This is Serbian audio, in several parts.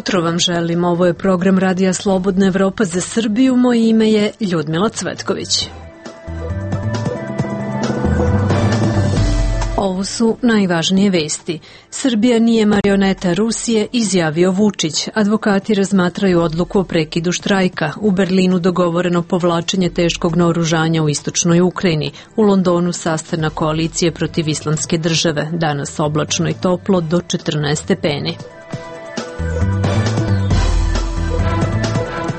jutro vam želim. Ovo je program Radija Slobodna Evropa za Srbiju. Moje ime je Ljudmila Cvetković. Ovo su najvažnije vesti. Srbija nije marioneta Rusije, izjavio Vučić. Advokati razmatraju odluku o prekidu štrajka. U Berlinu dogovoreno povlačenje teškog naoružanja u istočnoj Ukrajini. U Londonu sastanak koalicije protiv Islamske države. Danas oblačno i toplo do 14 stepeni.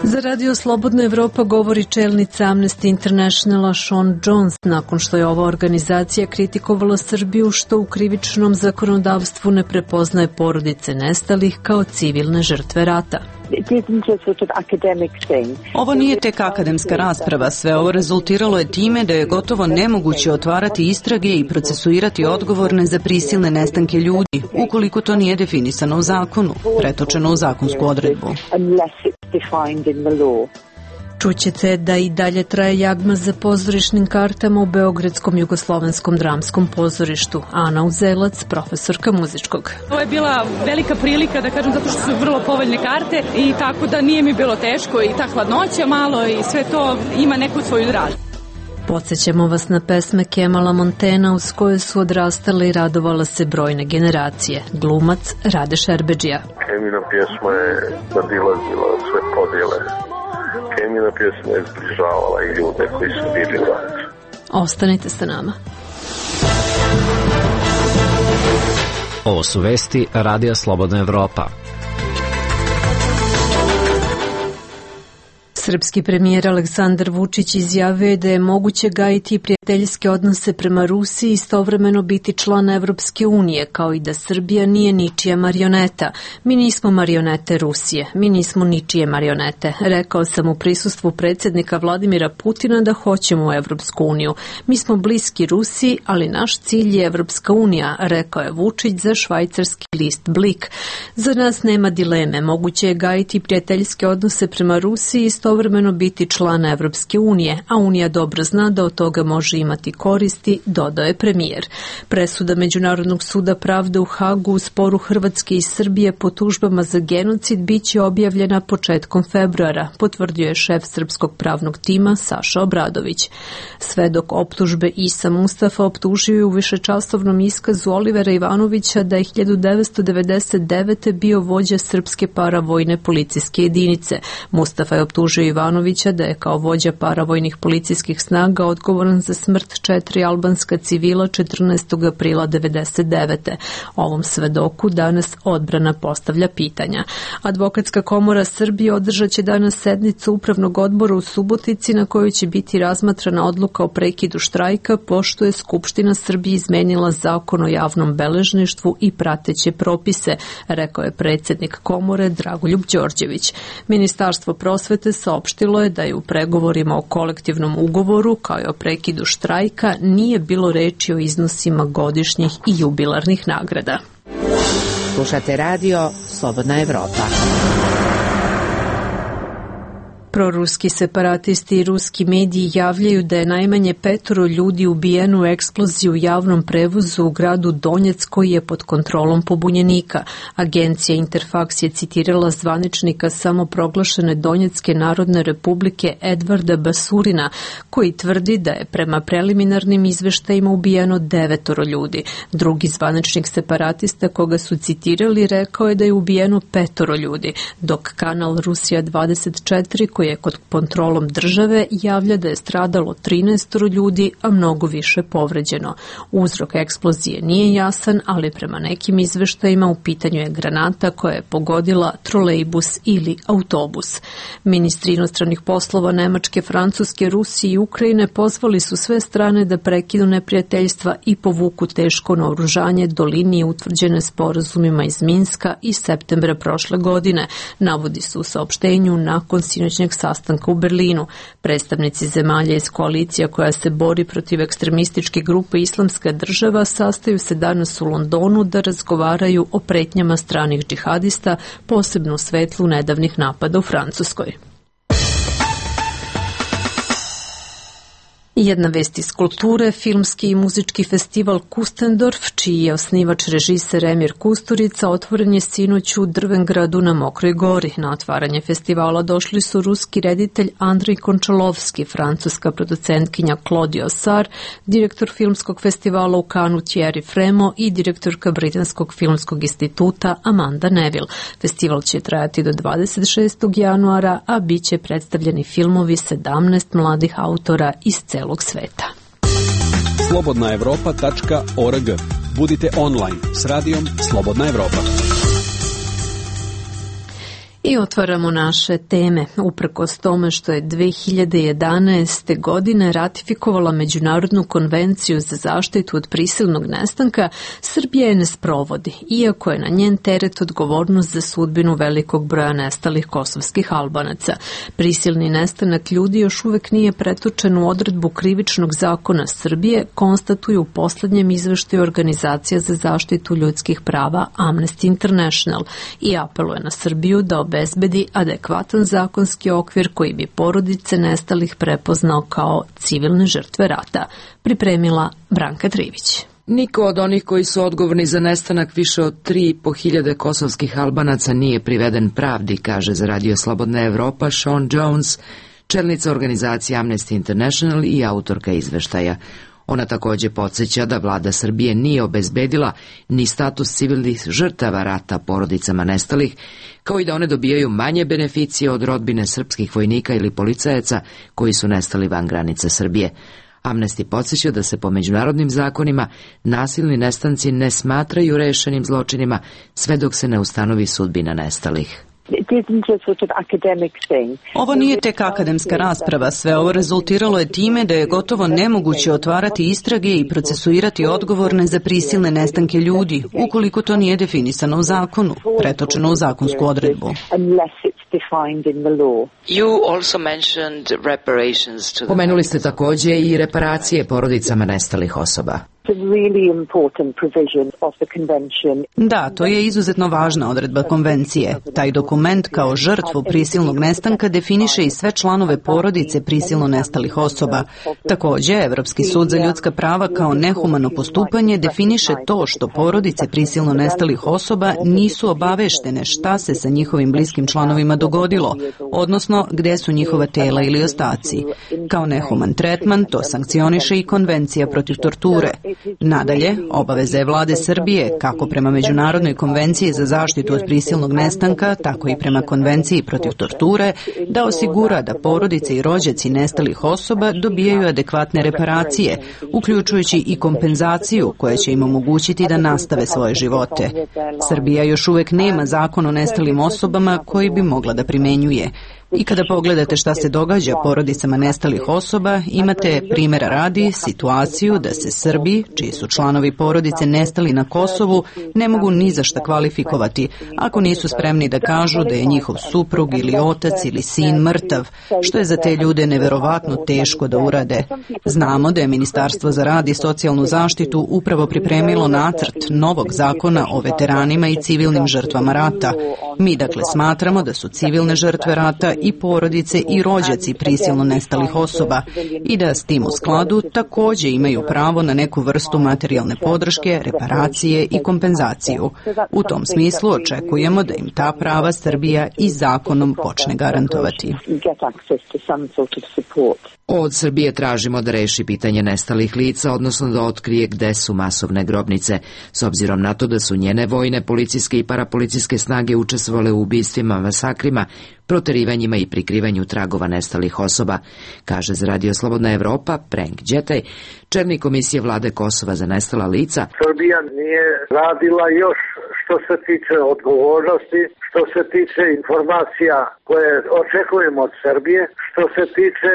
Za Radio Slobodna Evropa govori čelnica Amnesty Internationala Sean Jones nakon što je ova organizacija kritikovala Srbiju što u krivičnom zakonodavstvu ne prepoznaje porodice nestalih kao civilne žrtve rata. Ovo nije tek akademska rasprava, sve ovo rezultiralo je time da je gotovo nemoguće otvarati istrage i procesuirati odgovorne za prisilne nestanke ljudi, ukoliko to nije definisano u zakonu, pretočeno u zakonsku odredbu. Čućete da i dalje traje jagma za pozorišnim kartama u Beogradskom jugoslovenskom dramskom pozorištu. Ana Uzelac, profesorka muzičkog. Ovo je bila velika prilika, da kažem, zato što su vrlo povoljne karte i tako da nije mi bilo teško i ta hladnoća malo i sve to ima neku svoju dražbu. Podsjećamo vas na pesme Kemala Montena uz koje su odrastale i radovala se brojne generacije. Glumac Rade Šerbedžija. Kemina pjesma je nadilazila sve podjele. Kemina pjesma je zbližavala i ljude koji su bili u ratu. Ostanite sa nama. Ovo su vesti Radija Slobodna Evropa. Srpski premijer Aleksandar Vučić izjavio je da je moguće gajiti prijateljske odnose prema Rusiji i istovremeno biti član Evropske unije, kao i da Srbija nije ničija marioneta. Mi nismo marionete Rusije, mi nismo ničije marionete. Rekao sam u prisustvu predsjednika Vladimira Putina da hoćemo u Evropsku uniju. Mi smo bliski Rusiji, ali naš cilj je Evropska unija, rekao je Vučić za švajcarski list Blik. Za nas nema dileme, moguće je gajiti prijateljske odnose prema Rusiji i istovremeno biti član Evropske unije, a Unija dobro zna da od toga može imati koristi, dodao je premijer. Presuda Međunarodnog suda pravde u Hagu u sporu Hrvatske i Srbije po tužbama za genocid biće objavljena početkom februara, potvrdio je šef srpskog pravnog tima Saša Obradović. Svedok optužbe Isa Mustafa optužio je u višečasovnom iskazu Olivera Ivanovića da je 1999. bio vođa srpske paravojne policijske jedinice. Mustafa je optužio Ivanovića da je kao vođa paravojnih policijskih snaga odgovoran za smrt 4 albanska civila 14. aprila 1999. Ovom svedoku danas odbrana postavlja pitanja. Advokatska komora Srbije održat će danas sednicu Upravnog odbora u Subotici na kojoj će biti razmatrana odluka o prekidu štrajka pošto je Skupština Srbije izmenila zakon o javnom beležništvu i prateće propise, rekao je predsjednik komore Dragoljub Đorđević. Ministarstvo prosvete saopštilo je da je u pregovorima o kolektivnom ugovoru kao i o prekidu štrajka nije bilo reči o iznosima godišnjih i jubilarnih nagrada. Slušate radio Slobodna Evropa. Proruski separatisti i ruski mediji javljaju da je najmanje 5 ljudi ubijeno u eksploziji u javnom prevozu u gradu Donjec koji je pod kontrolom pobunjenika. Agencija Interfax je citirala zvaničnika samoproglašene Donjecke narodne republike Edvarda Basurina koji tvrdi da je prema preliminarnim izveštajima ubijeno 9 ljudi. Drugi zvaničnik separatista koga su citirali rekao je da je ubijeno 5 ljudi, dok kanal Rusija 24 koji je pod kontrolom države javlja da je stradalo 13 ljudi, a mnogo više povređeno. Uzrok eksplozije nije jasan, ali prema nekim izveštajima u pitanju je granata koja je pogodila trolejbus ili autobus. Ministri inostranih poslova Nemačke, Francuske, Rusije i Ukrajine pozvali su sve strane da prekinu neprijateljstva i povuku teško naoružanje do linije utvrđene sporazumima iz Minska iz septembra prošle godine, navodi se u saopštenju nakon sinoćnjeg sastanka u Berlinu. Predstavnici zemalja iz koalicija koja se bori protiv ekstremističke grupe Islamska država sastaju se danas u Londonu da razgovaraju o pretnjama stranih džihadista, posebno u svetlu nedavnih napada u Francuskoj. Jedna vest iz kulture, filmski i muzički festival Kustendorf, čiji je osnivač režiser Emir Kusturica, otvoren je sinoć u Drvengradu na Mokroj gori. Na otvaranje festivala došli su ruski reditelj Andrej Končalovski, francuska producentkinja Claudia Sar, direktor filmskog festivala u Kanu Thierry Fremo i direktorka Britanskog filmskog instituta Amanda Neville. Festival će trajati do 26. januara, a bit će predstavljeni filmovi 17 mladih autora iz celog sveta. slobodnaevropa.org. Budite online s radijom Slobodna Evropa. I otvaramo naše teme. Uprkos tome što je 2011. godine ratifikovala Međunarodnu konvenciju za zaštitu od prisilnog nestanka, Srbija je ne sprovodi, iako je na njen teret odgovornost za sudbinu velikog broja nestalih kosovskih Albanaca. Prisilni nestanak ljudi još uvek nije pretočen u odredbu krivičnog zakona Srbije, konstatuju u poslednjem izveštaju Organizacija za zaštitu ljudskih prava Amnesty International i apeluje na Srbiju da obezbedi adekvatan zakonski okvir koji bi porodice nestalih prepoznao kao civilne žrtve rata. Pripremila Branka Trivić. Niko od onih koji su odgovorni za nestanak više od 3.500 kosovskih Albanaca nije priveden pravdi, kaže za Radio Slobodna Evropa Sean Jones, čelnica organizacije Amnesty International i autorka izveštaja. Ona također podsjeća da vlada Srbije nije obezbedila ni status civilnih žrtava rata porodicama nestalih, kao i da one dobijaju manje beneficije od rodbine srpskih vojnika ili policajaca koji su nestali van granice Srbije. Amnesty podsjeća da se po međunarodnim zakonima nasilni nestanci ne smatraju rešenim zločinima sve dok se ne ustanovi sudbina nestalih. Ovo nije tek akademska rasprava, sve ovo rezultiralo je time da je gotovo nemoguće otvarati istrage i procesuirati odgovorne za prisilne nestanke ljudi, ukoliko to nije definisano u zakonu, pretočeno u zakonsku odredbu. Pomenuli ste također i reparacije porodicama nestalih osoba. Da, to je izuzetno važna odredba konvencije. Taj dokument kao žrtvu prisilnog nestanka definiše i sve članove porodice prisilno nestalih osoba. Također, Evropski sud za ljudska prava kao nehumano postupanje definiše to što porodice prisilno nestalih osoba nisu obaveštene šta se sa njihovim bliskim članovima dogodilo, odnosno gde su njihova tela ili ostaci. Kao nehuman tretman to sankcioniše i Konvencija protiv torture. Nadalje, obaveza je vlade Srbije, kako prema Međunarodnoj konvenciji za zaštitu od prisilnog nestanka, tako i prema Konvenciji protiv torture, da osigura da porodice i rođaci nestalih osoba dobijaju adekvatne reparacije, uključujući i kompenzaciju koja će im omogućiti da nastave svoje živote. Srbija još uvek nema zakon o nestalim osobama koji bi mogla da primenjuje. I kada pogledate šta se događa porodicama nestalih osoba, imate primjera radi situaciju da se Srbi, čiji su članovi porodice nestali na Kosovu, ne mogu ni za šta kvalifikovati ako nisu spremni da kažu da je njihov suprug ili otac ili sin mrtav, što je za te ljude neverovatno teško da urade. Znamo da je Ministarstvo za rad i socijalnu zaštitu upravo pripremilo nacrt novog zakona o veteranima i civilnim žrtvama rata. Mi dakle smatramo da su civilne žrtve rata i porodice i rođaci prisilno nestalih osoba i da s tim u skladu također imaju pravo na neku vrstu materijalne podrške, reparacije i kompenzaciju. U tom smislu očekujemo da im ta prava Srbija i zakonom počne garantovati. Od Srbije tražimo da reši pitanje nestalih lica, odnosno da otkrije gde su masovne grobnice, s obzirom na to da su njene vojne, policijske i parapolicijske snage učestvovale u ubistvima, masakrima, proterivanjima i prikrivanju tragova nestalih osoba, kaže za Radio Slobodna Evropa Prenk Đetaj, čelnik komisije vlade Kosova za nestala lica. Srbija nije radila još što se tiče odgovornosti, što se tiče informacija koje očekujemo od Srbije, što se tiče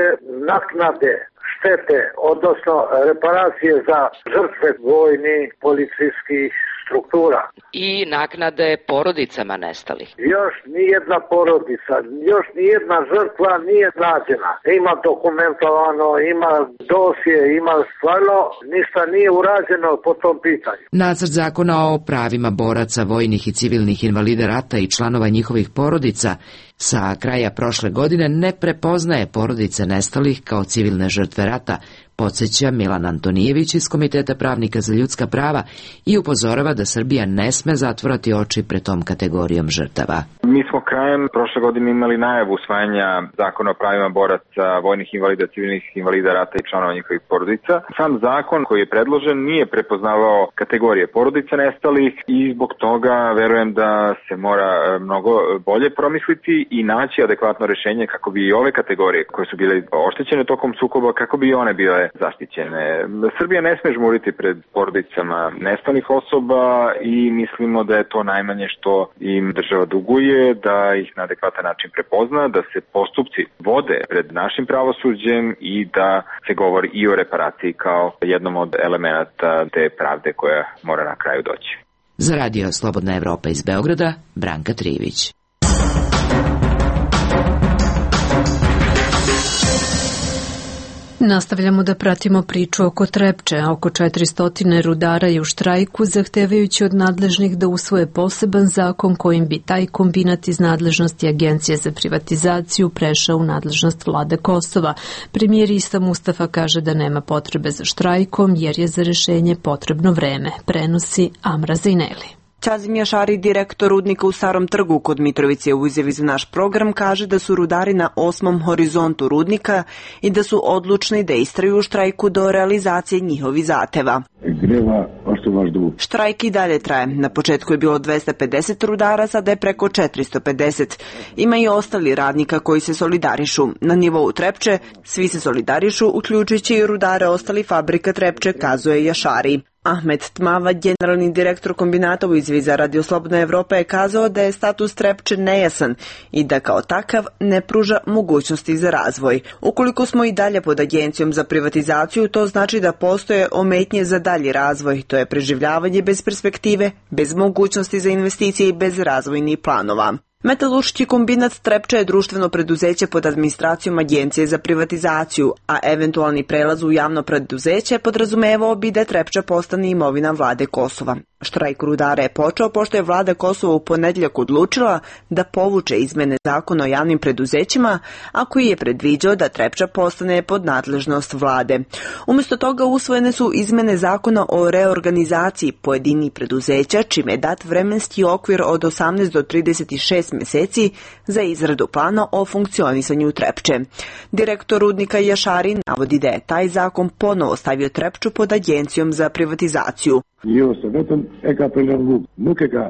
naknade štete, odnosno reparacije za žrtve vojnih, policijskih struktura. I naknade porodicama nestalih. Još nijedna porodica, još nijedna žrtva nije nađena. Ima dokumentovano, ima dosje, ima stvarno ništa nije urađeno po tom pitanju. Nacrt zakona o pravima boraca, vojnih i civilnih invalida rata i članova njihovih porodica sa kraja prošle godine ne prepoznaje porodice nestalih kao civilne žrtve rata, podsjeća Milan Antonijević iz Komiteta pravnika za ljudska prava i upozorava da Srbija ne sme zatvorati oči pred tom kategorijom žrtava. Mi smo krajem prošle godine imali najavu usvajanja zakona o pravima boraca, vojnih invalida, civilnih invalida rata i članova njihovih porodica. Sam zakon koji je predložen nije prepoznavao kategorije porodica nestalih i zbog toga verujem da se mora mnogo bolje promisliti i naći adekvatno rešenje kako bi i ove kategorije koje su bile oštećene tokom sukoba, kako bi one bile zaštićene. Srbija ne sme žmuriti pred porodicama nestalih osoba i mislimo da je to najmanje što im država duguje, da ih na adekvatan način prepozna, da se postupci vode pred našim pravosuđem i da se govori i o reparaciji kao jednom od elemenata te pravde koja mora na kraju doći. Za Radio Slobodna Evropa iz Beograda, Branka Trivić. Nastavljamo da pratimo priču oko Trepče. Oko 400 rudara je u štrajku, zahtevajući od nadležnih da usvoje poseban zakon kojim bi taj kombinat iz nadležnosti Agencije za privatizaciju prešao u nadležnost vlade Kosova. Premijer Isa Mustafa kaže da nema potrebe za štrajkom jer je za rešenje potrebno vreme. Prenosi Amra Zajneli. Ćazim Jašari, direktor rudnika u Starom Trgu kod Mitrovice, u izjavi za naš program kaže da su rudari na 8. horizontu rudnika i da su odlučni da istraju u štrajku do realizacije njihovih zahteva. Štrajk i dalje traje. Na početku je bilo 250 rudara, sada je preko 450. Ima i ostali radnika koji se solidarišu. Na nivou Trepče svi se solidarišu, uključujući i rudare ostali fabrika Trepče, kazuje Jašari. Ahmed Tmava, generalni direktor kombinata u izjavi za Radio Slobodna Evropa, je kazao da je status Trepče nejasan i da kao takav ne pruža mogućnosti za razvoj. Ukoliko smo i dalje pod Agencijom za privatizaciju, to znači da postoje ometnje za dalji razvoj. To je preživljavanje bez perspektive, bez mogućnosti za investicije i bez razvojnih planova. Metalurški kombinat Trepča je društveno preduzeće pod administracijom Agencije za privatizaciju, a eventualni prelaz u javno preduzeće podrazumevao bi da Trepča postane imovina vlade Kosova. Štrajk rudara je počeo pošto je vlada Kosova u ponedjeljak odlučila da povuče izmene zakona o javnim preduzećima, a koji je predviđao da Trepča postane pod nadležnost vlade. Umjesto toga usvojene su izmene zakona o reorganizaciji pojedinih preduzeća, čime je dat vremenski okvir od 18 do 36 meseci za izradu plana o funkcionisanju Trepče. Direktor rudnika Jašari navodi da je taj zakon ponovo stavio Trepču pod Agencijom za privatizaciju.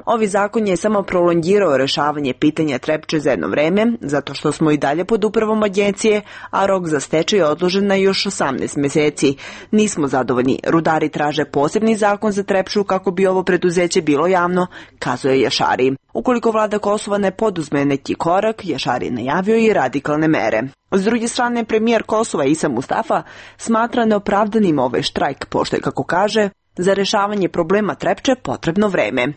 Ovi zakon je samo prolongirao rešavanje pitanja Trepče za jedno vreme, zato što smo i dalje pod upravom agencije, a rok za stečaj je odložen na još 18 meseci. Nismo zadovoljni. Rudari traže posebni zakon za Trepču kako bi ovo preduzeće bilo javno, kazuje Jašari. Ukoliko vlada Kosova ne poduzme neki korak, Jašari je najavio i radikalne mere. S druge strane, premijer Kosova Isa Mustafa smatra neopravdanim ovaj štrajk, pošto je, kako kaže, za rešavanje problema Trepče potrebno vreme.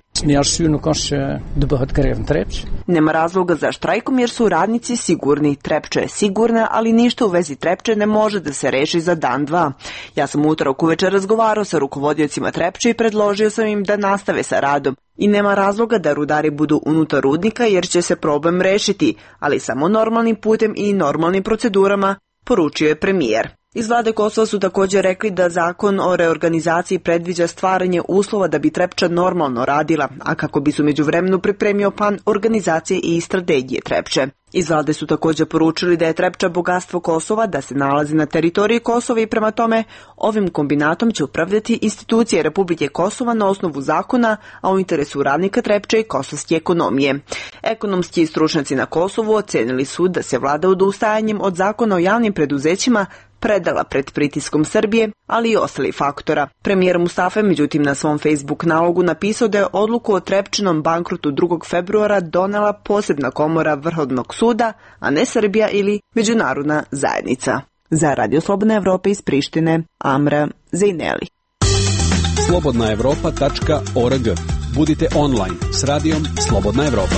Nema razloga za štrajkom jer su radnici sigurni. Trepča je sigurna, ali ništa u vezi Trepče ne može da se reši za dan, dva. Ja sam utorak uveče razgovarao sa rukovodiocima Trepče i predložio sam im da nastave sa radom. I nema razloga da rudari budu unutar rudnika jer će se problem rešiti, ali samo normalnim putem i normalnim procedurama, poručio je premijer. Iz vlade Kosova su također rekli da zakon o reorganizaciji predviđa stvaranje uslova da bi Trepča normalno radila, a kako bi su međuvremenu pripremio plan organizacije i strategije Trepče. Iz vlade su također poručili da je Trepča bogatstvo Kosova, da se nalazi na teritoriji Kosova i prema tome ovim kombinatom će upravljati institucije Republike Kosova na osnovu zakona, a u interesu radnika Trepče i kosovske ekonomije. Ekonomski stručnjaci na Kosovu ocenili su da se vlada odustajanjem od zakona o javnim preduzećima predala pred pritiskom Srbije, ali i ostali faktora. Premijer Mustafa je međutim na svom Facebook nalogu napisao da je odluku o Trepčinom bankrotu 2. februara donela posebna komora Vrhovnog suda, a ne Srbija ili međunarodna zajednica. Za Radio Slobodna Evropa iz Prištine, Amra Zajneli. slobodnaevropa.org. Budite online s radijom Slobodna Evropa.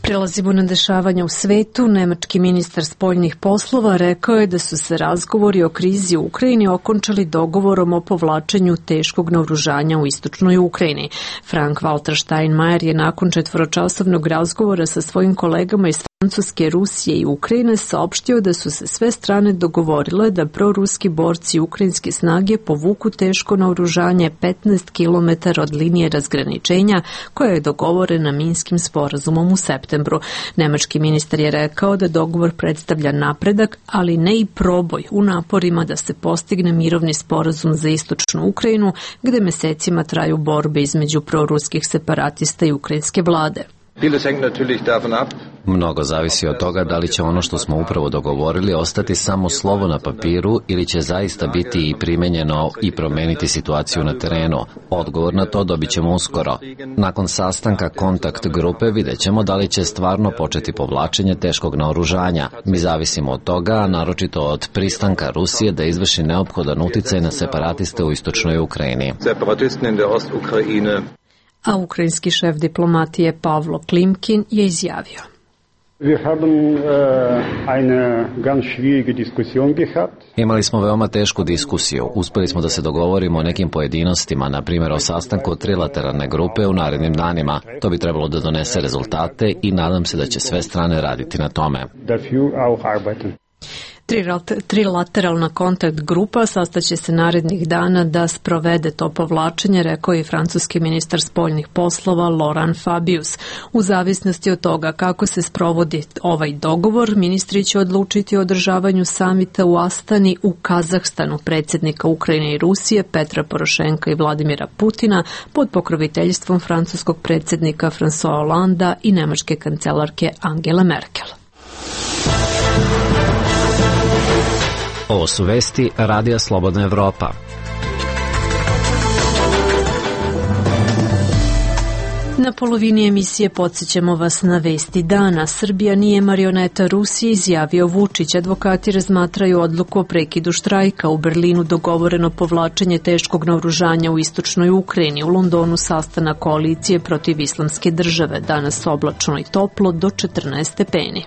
Prelazimo na dešavanja u svetu. Nemački ministar spoljnih poslova rekao je da su se razgovori o krizi u Ukrajini okončali dogovorom o povlačenju teškog naoružanja u istočnoj Ukrajini. Frank-Walter Steinmeier je nakon 4-časovnog razgovora sa svojim kolegama iz Francuske, Rusije i Ukrajine saopštio da su se sve strane dogovorile da proruski borci i ukrajinske snage povuku teško naoružanje 15 km od linije razgraničenja koja je dogovorena Minskim sporazumom u septembru. Nemački ministar je rekao da dogovor predstavlja napredak, ali ne i proboj u naporima da se postigne mirovni sporazum za istočnu Ukrajinu, gde mesecima traju borbe između proruskih separatista i ukrajinske vlade. Mnogo zavisi od toga da li će ono što smo upravo dogovorili ostati samo slovo na papiru ili će zaista biti i primenjeno i promeniti situaciju na terenu. Odgovor na to dobit ćemo uskoro. Nakon sastanka kontakt grupe vidjet ćemo da li će stvarno početi povlačenje teškog naoružanja. Mi zavisimo od toga, naročito od pristanka Rusije da izvrši neophodan uticaj na separatiste u istočnoj Ukrajini. A ukrajinski šef diplomatije Pavlo Klimkin je izjavio: Imali smo veoma tešku diskusiju. Uspeli smo da se dogovorimo o nekim pojedinostima, na primjer o sastanku trilateralne grupe u narednim danima. To bi trebalo da donese rezultate i nadam se da će sve strane raditi na tome. Trilateralna kontakt grupa sastaće se narednih dana da sprovede to povlačenje, rekao je francuski ministar spoljnih poslova Laurent Fabius. U zavisnosti od toga kako se sprovodi ovaj dogovor, ministri će odlučiti o održavanju samita u Astani u Kazahstanu predsjednika Ukrajine i Rusije Petra Porošenka i Vladimira Putina pod pokroviteljstvom francuskog predsjednika François Hollanda i nemačke kancelarke Angele Merkel. Ovo su vesti Radija Slobodna Evropa. Na polovini emisije podsjećamo vas na vesti dana. Srbija nije marioneta Rusije, izjavio Vučić. Advokati razmatraju odluku o prekidu štrajka. U Berlinu dogovoreno povlačenje teškog naoružanja u istočnoj Ukrajini. U Londonu sastanak koalicije protiv islamske države. Danas oblačno i toplo do 14 stepeni.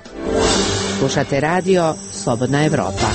Slušate radio Slobodna Evropa.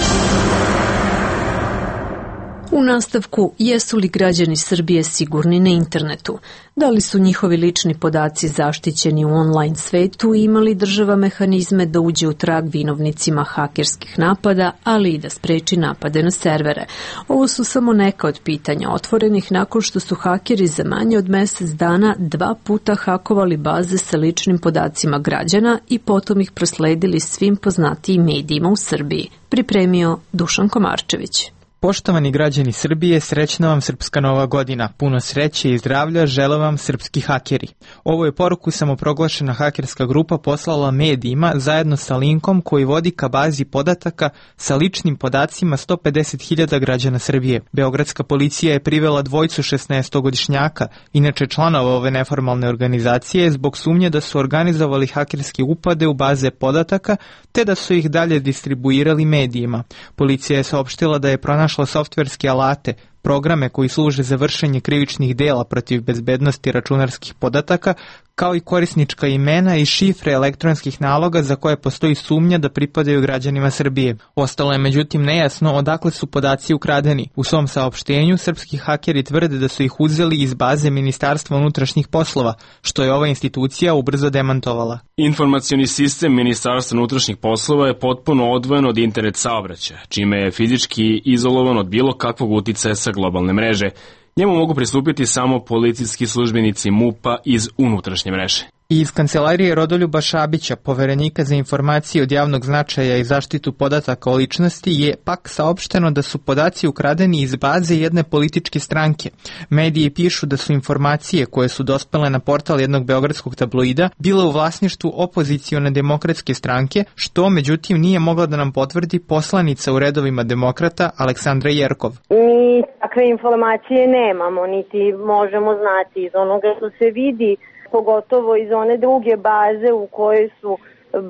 U nastavku, jesu li građani Srbije sigurni na internetu? Da li su njihovi lični podaci zaštićeni u online svetu i ima li država mehanizme da uđe u trag vinovnicima hakerskih napada, ali i da spreči napade na servere? Ovo su samo neka od pitanja otvorenih nakon što su hakeri za manje od mesec dana 2 puta hakovali baze sa ličnim podacima građana i potom ih prosledili svim poznatijim medijima u Srbiji. Pripremio Dušan Komarčević. Poštovani građani Srbije, srećna vam Srpska Nova godina. Puno sreće i zdravlja žele vam srpski hakeri. Ovo je poruku samoproglašena hakerska grupa poslala medijima zajedno sa linkom koji vodi ka bazi podataka sa ličnim podacima 150.000 građana Srbije. Beogradska policija je privela dvojicu 16-godišnjaka, inače članova ove neformalne organizacije, zbog sumnje da su organizovali hakerske upade u baze podataka, te da su ih dalje distribuirali medijima. Policija je saopštila da je pronašla softverske alate, programe koji služe za vršenje krivičnih dela protiv bezbednosti računarskih podataka, kao i korisnička imena i šifre elektronskih naloga za koje postoji sumnja da pripadaju građanima Srbije. Ostalo je međutim nejasno odakle su podaci ukradeni. U svom saopštenju srpski hakeri tvrde da su ih uzeli iz baze Ministarstva unutrašnjih poslova, što je ova institucija ubrzo demantovala. Informacioni sistem Ministarstva unutrašnjih poslova je potpuno odvojen od internet saobraćaja, čime je fizički izolovan od bilo kakvog uticaja sa globalne mreže. Njemu mogu pristupiti samo policijski službenici MUP-a iz unutrašnje mreže. I iz kancelarije Rodoljuba Šabića, poverenika za informacije od javnog značaja i zaštitu podataka o ličnosti, je pak saopšteno da su podaci ukradeni iz baze jedne političke stranke. Mediji pišu da su informacije koje su dospele na portal jednog beogradskog tabloida bile u vlasništvu opozicione demokratske stranke, što međutim nije mogla da nam potvrdi poslanica u redovima demokrata Aleksandra Jerkov. Mi takve informacije nemamo, niti možemo znati iz onoga što se vidi, pogotovo iz one druge baze u kojoj su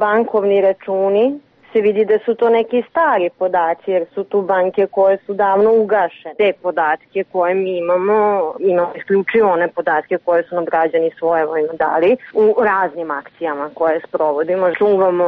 bankovni računi, se vidi da su to neki stari podaci, jer su tu banke koje su davno ugašene. Te podatke koje mi imamo isključivo one podatke koje su nam građani svojevoljno dali u raznim akcijama koje sprovodimo. Čuvamo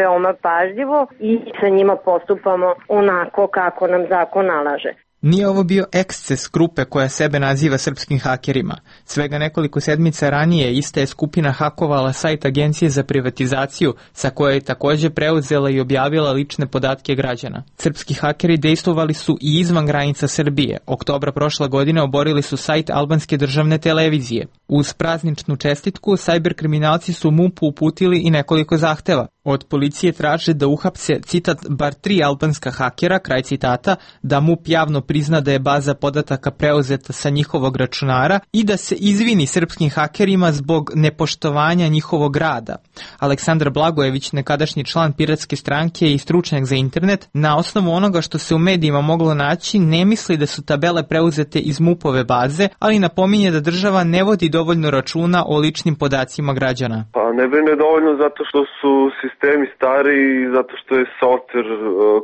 veoma pažljivo i sa njima postupamo onako kako nam zakon nalaže. Nije ovo bio eksces grupe koja sebe naziva srpskim hakerima. Svega nekoliko sedmica ranije ista je skupina hakovala sajt Agencije za privatizaciju, sa koje je takođe preuzela i objavila lične podatke građana. Srpski hakeri dejstvovali su i izvan granica Srbije. Oktobra prošle godine oborili su sajt albanske državne televizije. Uz prazničnu čestitku, sajber kriminalci su MUP-u uputili i nekoliko zahteva. Od policije traže da uhapse, citat, bar 3 albanska hakera, kraj citata, da MUP javno prizna da je baza podataka preuzeta sa njihovog računara i da se izvini srpskim hakerima zbog nepoštovanja njihovog rada. Aleksandar Blagojević, nekadašnji član Piratske stranke i stručnjak za internet, na osnovu onoga što se u medijima moglo naći, ne misli da su tabele preuzete iz MUP-ove baze, ali napominje da država ne vodi dovoljno računa o ličnim podacima građana. Pa ne brine dovoljno zato što su sistemi stari i zato što je softver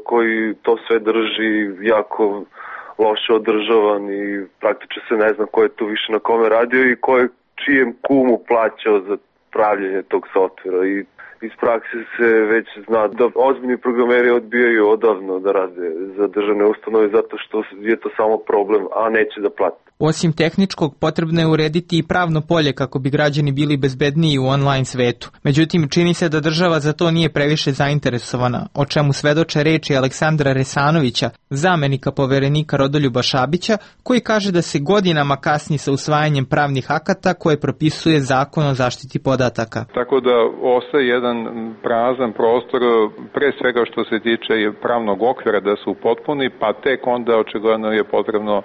koji to sve drži jako loše održavan i praktično se ne zna ko je tu više na kome radio i ko je čijem kumu plaćao za pravljenje tog softvera i iz prakse se već zna da ozbiljni programeri odbijaju odavno da rade za državne ustanove zato što je to samo problem, a neće da plate. Osim tehničkog, potrebno je urediti i pravno polje kako bi građani bili bezbedniji u online svetu. Međutim, čini se da država za to nije previše zainteresovana, o čemu svedoče reči Aleksandra Resanovića, zamenika poverenika Rodoljuba Šabića, koji kaže da se godinama kasni sa usvajanjem pravnih akata koje propisuje Zakon o zaštiti podataka. Tako da ostaje jedan prazan prostor, pre svega što se tiče pravnog okvira da su potpuni, pa tek onda očigledno je potrebno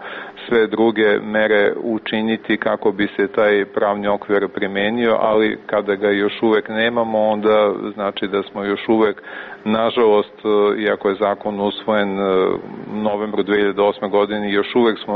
sve druge mere učiniti kako bi se taj pravni okvir primenio, ali kada ga još uvek nemamo, onda znači da smo još uvek, nažalost, iako je zakon usvojen u novembru 2008. godine, još uvek smo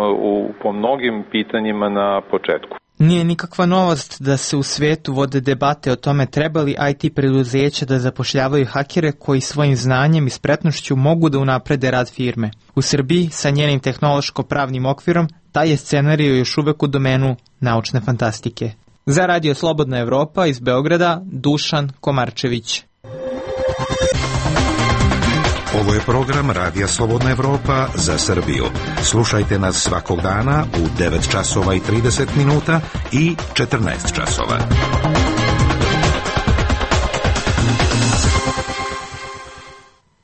po mnogim pitanjima na početku. Nije nikakva novost da se u svetu vode debate o tome treba li IT preduzeća da zapošljavaju hakere koji svojim znanjem i spretnošću mogu da unaprede rad firme. U Srbiji, sa njenim tehnološko-pravnim okvirom, taj je scenarij još uvek u domenu naučne fantastike. Za Radio Slobodna Evropa iz Beograda, Dušan Komarčević. Ovo je program Radija Slobodna Evropa za Srbiju. Slušajte nas svakog dana u 9 časova i 30 minuta i 14 časova.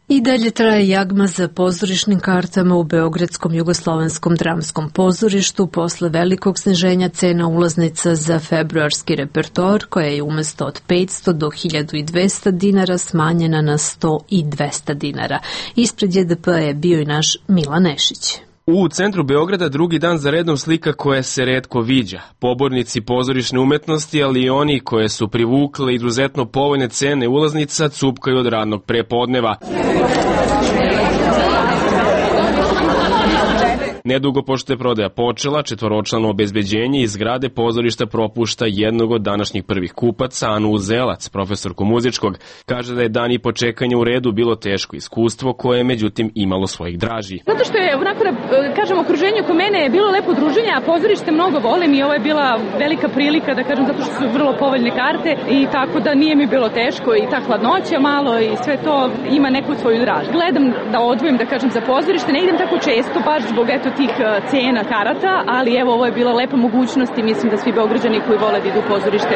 I dalje traje jagma za pozorišnim kartama u Beogradskom jugoslovenskom dramskom pozorištu posle velikog sniženja cena ulaznica za februarski repertoar, koja je umesto od 500 do 1200 dinara smanjena na 100 i 200 dinara. Ispred JDP je bio i naš Milan Nešić. U centru Beograda drugi dan za redom slika koja se retko viđa. Pobornici pozorišne umetnosti, ali i oni koje su privukle izuzetno povoljne cene ulaznica, cupkaju od radnog prepodneva. Nedugo pošto je prodaja počela, četvoročlano obezbeđenje iz zgrade pozorišta propušta jednog od današnjih prvih kupaca, Anu Uzelac, profesorku muzičkog. Kaže da je dan i po čekanja u redu bilo teško iskustvo koje je međutim imalo svojih draži. Zato što je onako da kažem okruženje oko mene je bilo lepo druženje, a pozorište mnogo volim i ovo je bila velika prilika da kažem zato što su vrlo povoljne karte i tako da nije mi bilo teško i ta hladnoća malo i sve to ima neku svoju dražu. Gledam da odvojim da kažem za pozorište, ne idem tako često baš zbog tih cena karata, ali evo ovo je bila lepa mogućnost i mislim da svi Beograđani koji vole da idu u pozorište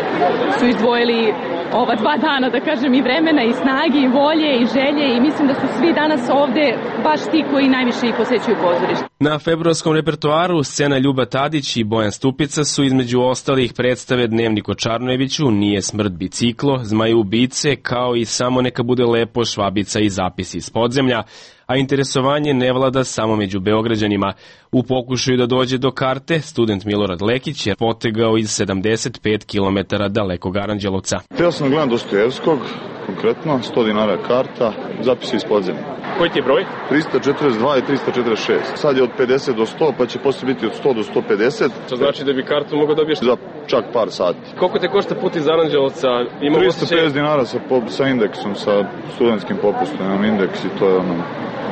su izdvojili ova 2 dana, da kažem, i vremena i snage i volje i želje i mislim da su svi danas ovde baš ti koji najviše i posećuju pozorište. Na februarskom repertoaru scena Ljuba Tadić i Bojan Stupica su između ostalih predstave Dnevnik o Čarnojeviću, Nije smrt biciklo, Zmaju ubice, kao i Samo neka bude lepo, Švabica i Zapisi iz podzemlja, a interesovanje ne vlada samo među Beograđanima. U pokušaju da dođe do karte, student Milorad Lekić je potegao iz 75 km dalekog Aranđelovca. Htio sam gledam Dostojevskog, konkretno, 100 dinara karta, Zapisi iz podzemlja. Koji ti je broj? 342 i 346. Sad je od 50 do 100, pa će poslije biti od 100 do 150. To znači da bi kartu mogao dobiješ za čak par sati. Koliko te košta put iz Aranđelovca? 350 dinara sa indeksom, sa studentskim popustom. Imam indeks i to je ono...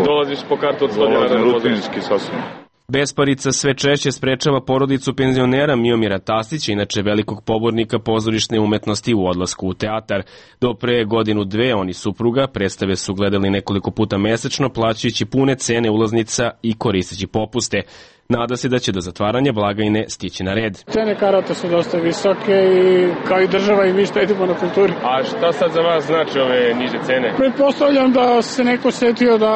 Dolaziš po kartu od 100 dinara. Dolazim rutinski sasvim. Besparica sve češće sprečava porodicu penzionera Miomira Tastića, inače velikog pobornika pozorišne umetnosti, u odlasku u teatar. Do pre godinu dve on i supruga predstave su gledali nekoliko puta mesečno, plaćajući pune cene ulaznica i koristeći popuste. Nada se da će do zatvaranja blagajne stići na red. Cene karata su dosta visoke i kao i država i mi štedimo na kulturi. A šta sad za vas znači ove niže cene? Pretpostavljam da se neko setio da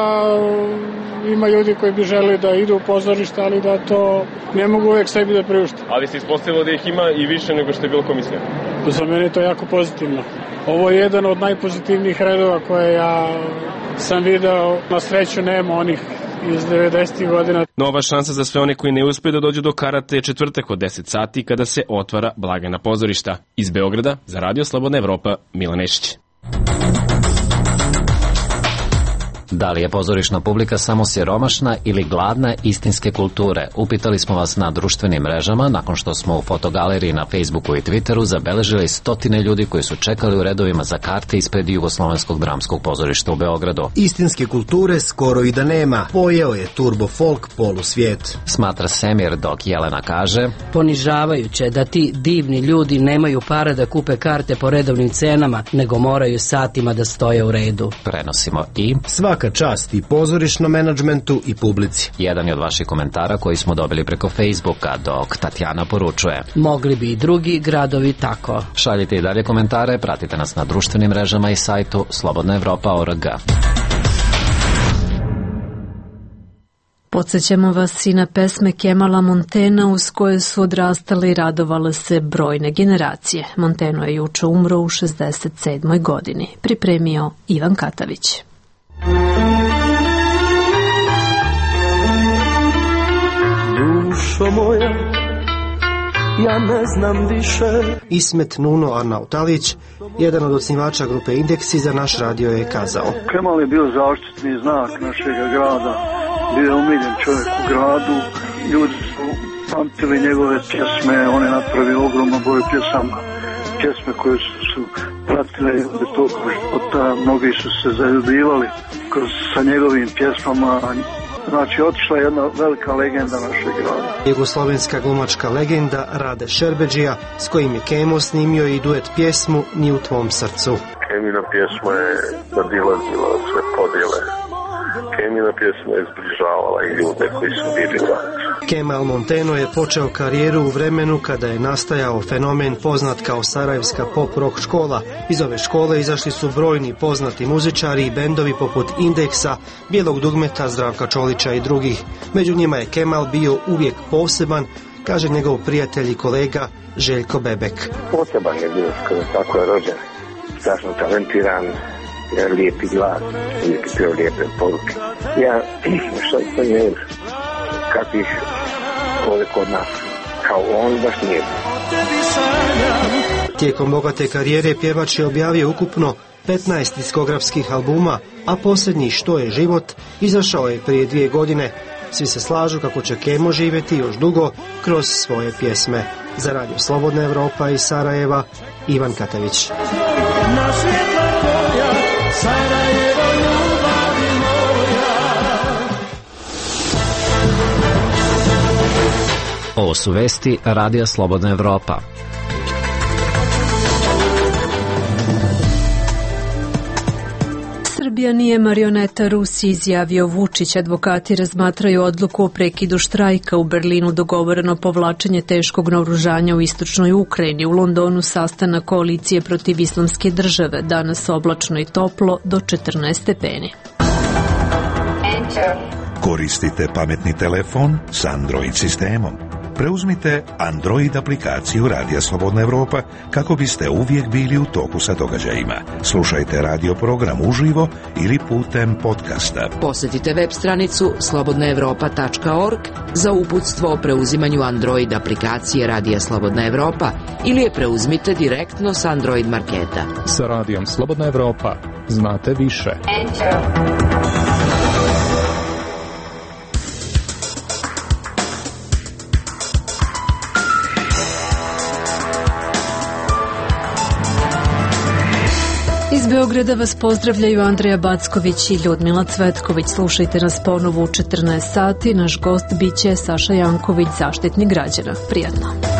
ima ljudi koji bi želi da idu u pozorište, ali da to ne mogu uvek sebi da priušte. Ali se ispostavilo da ih ima i više nego što je bilo komisija. Za mene je to jako pozitivno. Ovo je jedan od najpozitivnijih redova koje ja sam video. Na sreću nema onih iz 90. godina. Nova šansa za sve one koji ne uspeju da dođu do karate je četvrtak od 10 sati kada se otvara blagajna pozorišta. Iz Beograda za Radio Slobodna Evropa, Milan Nešić. Da li je pozorišna publika samo siromašna ili gladna istinske kulture? Upitali smo vas na društvenim mrežama nakon što smo u fotogaleriji na Facebooku i Twitteru zabeležili stotine ljudi koji su čekali u redovima za karte ispred Jugoslovenskog dramskog pozorišta u Beogradu. Istinske kulture skoro i da nema. Pojeo je turbo folk polusvijet. Smatra Semir, dok Jelena kaže: ponižavajuće da ti divni ljudi nemaju para da kupe karte po redovnim cenama, nego moraju satima da stoje u redu. Prenosimo i svaka čast i pozorišnom menadžmentu i publici. Jedan je od vaših komentara koji smo dobili preko Facebooka, dok Tatjana poručuje: mogli bi i drugi gradovi tako. Šaljite i dalje komentare, pratite nas na društvenim mrežama i sajtu slobodnaevropa.org. Podsjećamo vas i na pesme Kemala Montena uz koje su odrastale i radovale se brojne generacije. Monteno je juče umro u 67. godini. Pripremio Ivan Katavić. Dušo moja, ja ne znam više. Ismet Nuno Arnautalić, jedan od osnivača grupe Indeksi, za naš radio je kazao: Kemal je bio zaštitni znak našeg grada, bio je umiljen čovjek u gradu, ljudi su pamtili njegove pjesme, on je napravio ogroman broj pjesama, pjesme koje su pratile tog života, mnogi su se zaljubivali sa njegovim pjesmama. Znači, otišla je jedna velika legenda našeg grada. Jugoslovenska glumačka legenda Rade Šerbedžija, s kojim je Kemo snimio i duet pjesmu Ni u tvom srcu. Kemina pjesma je nadilazila sve podjele. Kemina pjesma je zbližavala i ljude koji su bili vlaci. Kemal Monteno je počeo karijeru u vremenu kada je nastajao fenomen poznat kao Sarajevska pop-rock škola. Iz ove škole izašli su brojni poznati muzičari i bendovi poput Indeksa, Bijelog dugmeta, Zdravka Čolića i drugih. Među njima je Kemal bio uvijek poseban, kaže njegov prijatelj i kolega Željko Bebek. Poseban je bio, tako je rođen, strašno talentiran, lijepi glas, uvijek pio lijepe poruke. Ja, što je ne kakvih ovdje kod nas, kao on baš nije. Tijekom bogate karijere pjevač je objavio ukupno 15 diskografskih albuma, a posljednji Što je život izašao je prije 2 godine. Svi se slažu kako će Kemo živjeti još dugo kroz svoje pjesme. Za Radio Slobodna Evropa iz Sarajeva, Ivan Katavić. Ovo su vesti Radija Slobodna Evropa. Srbija nije marioneta Rusiji, izjavio Vučić. Advokati razmatraju odluku o prekidu štrajka. U Berlinu dogovoreno povlačenje teškog naoružanja u istočnoj Ukrajini. U Londonu sastanak koalicije protiv islamske države. Danas oblačno i toplo do 14 stepeni. Koristite pametni telefon s Android sistemom. Preuzmite Android aplikaciju Radija Slobodna Evropa kako biste uvijek bili u toku sa događajima. Slušajte radio program uživo ili putem podcasta. Posjetite web stranicu slobodnaevropa.org za uputstvo o preuzimanju Android aplikacije Radija Slobodna Evropa ili je preuzmite direktno s Android marketa. Sa Radijom Slobodna Evropa znate više. Iz Beograda vas pozdravljaju Andreja Backović i Ljudmila Cvetković. Slušajte nas ponovo u 14 sati. Naš gost biće Saša Janković, Zaštitnik građana. Prijatno.